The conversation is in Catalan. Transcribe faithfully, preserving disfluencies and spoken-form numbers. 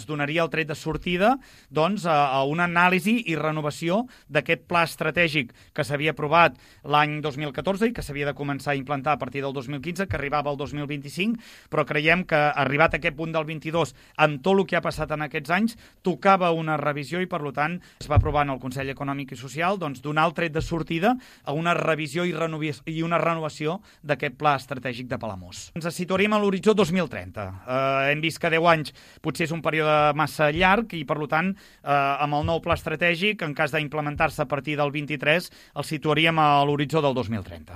donaria el tret de sortida doncs, a, a una anàlisi i renovació d'aquest pla estratègic que s'havia aprovat l'any dos mil catorze i que s'havia de començar a implantar a partir del dos mil quinze, que arribava al dos mil vint-i-cinc, però creiem que arribat a aquest punt del vint-i-dos, amb tot el que ha passat en aquests anys, tocava una revisió i, per tant, es va aprovar en el Consell Econòmic i Social doncs, donar el tret de sortida a una revisió i, i una renovació d'aquest pla estratègic de Palamós. Ens situaríem a l'horitzó dos mil trenta. Eh, hem vist que deu anys potser és un període massa llarg i, per tant, eh, amb el nou pla estratègic, en cas d'implementar-se a partir del vint-i-tres, el situaríem a l'horitzó del dos mil trenta.